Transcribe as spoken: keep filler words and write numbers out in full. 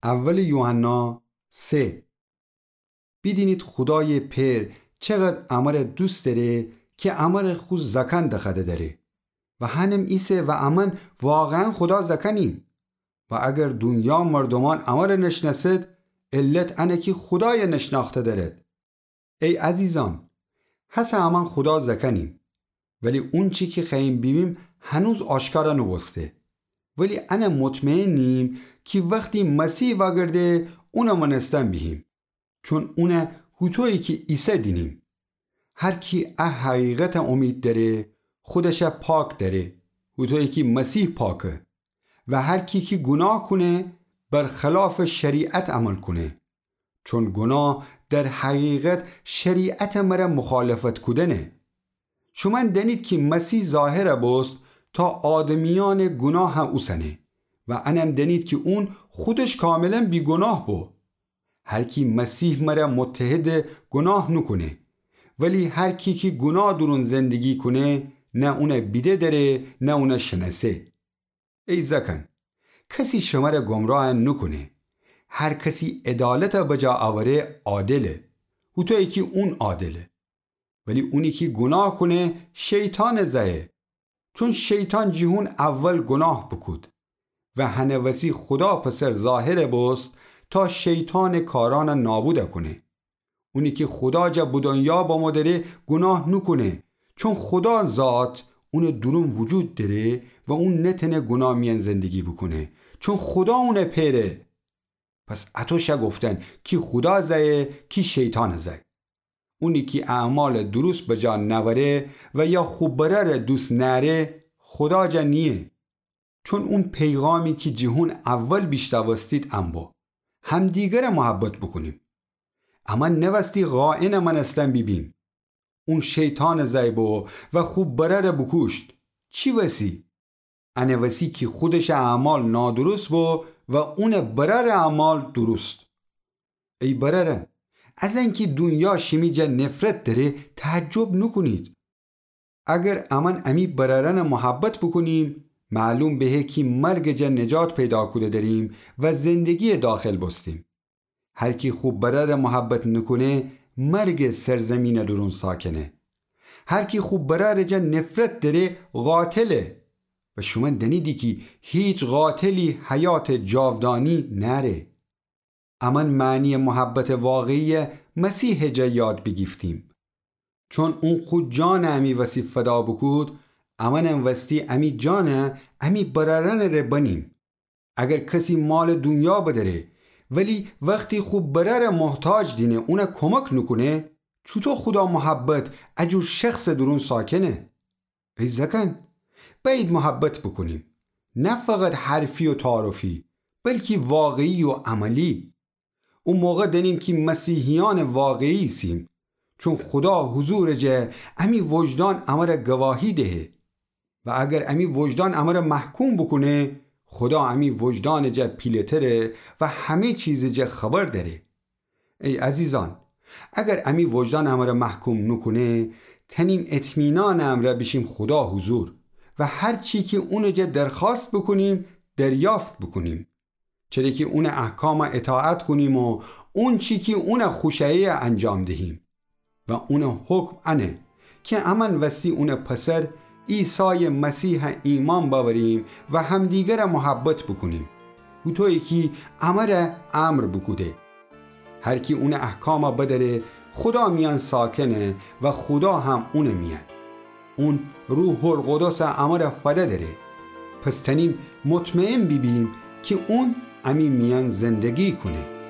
اول یوحنا سه. بیدینید خودایٚ پئر چقدر امر دوست دأره کی امر خو زأکأن دخوأده دأره و هنم ایسه و امأن واقعاً خودا زأکأنیم. و اگر دونیا مردومأن امر نشنأسد، علت انه کی خودای نشنأخته دأرد. ای عزیزأن، هسه امأن خودا زأکأنیم، ولی اونچی کی خوأییم بیبیم هنوز آشکار نوبوسته. ولی ان مطمئنیم کی وختی مسیح وأگرده، اون مأنستن بیهیم، چون اون هوطویی کی ایسه دینیم. هر کی ا حقیقت امید دأره، خودش پاک دأره، هوطویی کی مسیح پاکه. و هر کی کی گوناه کونه، برخلاف شریعت عمل کونه، چون گوناه در حقیقت شریعت مر مخالفت کودنه. شومأن دأنید کی مسیح ظاهر بوست تا آدمیأن گوناه اوسنه و انم دأنید کی اون خودش کاملاً بیگوناه بو. هر کی مسیح مر متحده گوناه نوکونه، ولی هر کی کی گوناه دورون زندگی کونه، نه اون بیده دأره نه اون شنأسه. ای زأکأن، کسی شمر گمراه نوکونه. هر کسی عدالت بجا اوره عادله، هوطویی کی اون عادله. ولی اونی کی گوناه کونه شیطانٚ زأیه، چون شیطان جیهون اول گوناه بوکود. و هنه وسی خودا پسر ظاهر بوست تا شیطانٚ کارأن نابود کونه. اونی کی خودا جا به دونیا بمو دأره گوناه نوکونه، چون خودا ذات اونٚ دورون وجود دأره و اون نتأنه گوناه میأن زندگی بوکونه، چون خودا اونٚ پئره. پس اطو شه گفتن کی خودا زأیه کی شیطانٚ زأی. اونی کی اعمالٚ درست بجا نأوره و یا خو برأرٚ دوست نأره، خودا جا نییه. چون اون پیغامی کی جیهون اول بیشنوستید ان بو، همدیگر محبت بوکونیم. امأن نوستی قائنٚ مأنستن بیبیم. اون شیطانٚ زأی بو و خو برأر بوکوشت. چی وسی؟ انه وسی کی خودشٚ اعمال نادرست بو و اونٚ برأرٚ اعمال درست. ای برأرأن، از انکی دونیا شیمی جا نفرت دأره تعجب نوکونید. اگر امأن امی برأرأن محبت بوکونیم، معلوم بهه کی مرگٚ جا نجات پیدا کوده دأریم و زندگی‌یٚ داخل بوستیم. هر کی خو برأر محبت نوکونه، مرگٚ سرزیمینٚ دورون ساکنه. هر کی خو برأرٚ جا نفرت دأره، قاتله. و شومأن دأنیدی کی هیچ قاتلی حیاتٚ جاودانی نأره. امأن معنی‌یٚ محبتٚ واقعی‌یٚ مسیحٚ جا یاد بیگیفتیم. چون اون خو جانٚ امی وسی فدا بوکود، امأنم وستی امی جان امی برأرأنٚ ره بنیم. اگر کسی مالٚ دونیا بدأره، ولی وختی خو برأرٚ محتاج دینه اون کومک نوکونه، چوطو خودا محبت ا جور شخصٚ دورون ساکنه؟ ای زأکأن، بأیید محبت بوکونیم، نه فقط حرفی و تعارفی، بلکی واقعی و عملی. او موقع دأنیم کی مسیحیأنٚ واقعی ایسیم، چون خودا حضورٚ جا امی وجدان امر گواهی دهه. و اگر امی وجدان امر محکوم بوکونه، خودا امی وجدانٚ جا پیله‌تره و همه چیزٚ جا خبر دأره. ای عزیزأن، اگر امی وجدان امر محکوم نوکونه، تأنیم اطمینانٚ امرأ بیشیم خودا حضور و هر چی کی اونٚ جا درخوأست بوکونیم، دریافت بوکونیم. چره کی اونٚ احکام اطاعت کونیم و اونچی کی اون خوشأیه انجام دهیم. و اونٚ حکم انه کی امأن وستی اونٚ پسر عیسایٚ مسیح ایمأن بأوریم و همدیگر محبت بوکونیم، هوطویی کی امر امر بوکوده. هر کی اونٚ احکام بدأره، خودا میأن ساکنه و خودا هم اونٚ میأن. اون روح‌القدس امر فده دأره. پس تأنیم مطمئن بیبیم کی اون امی میأن زندگی کونه.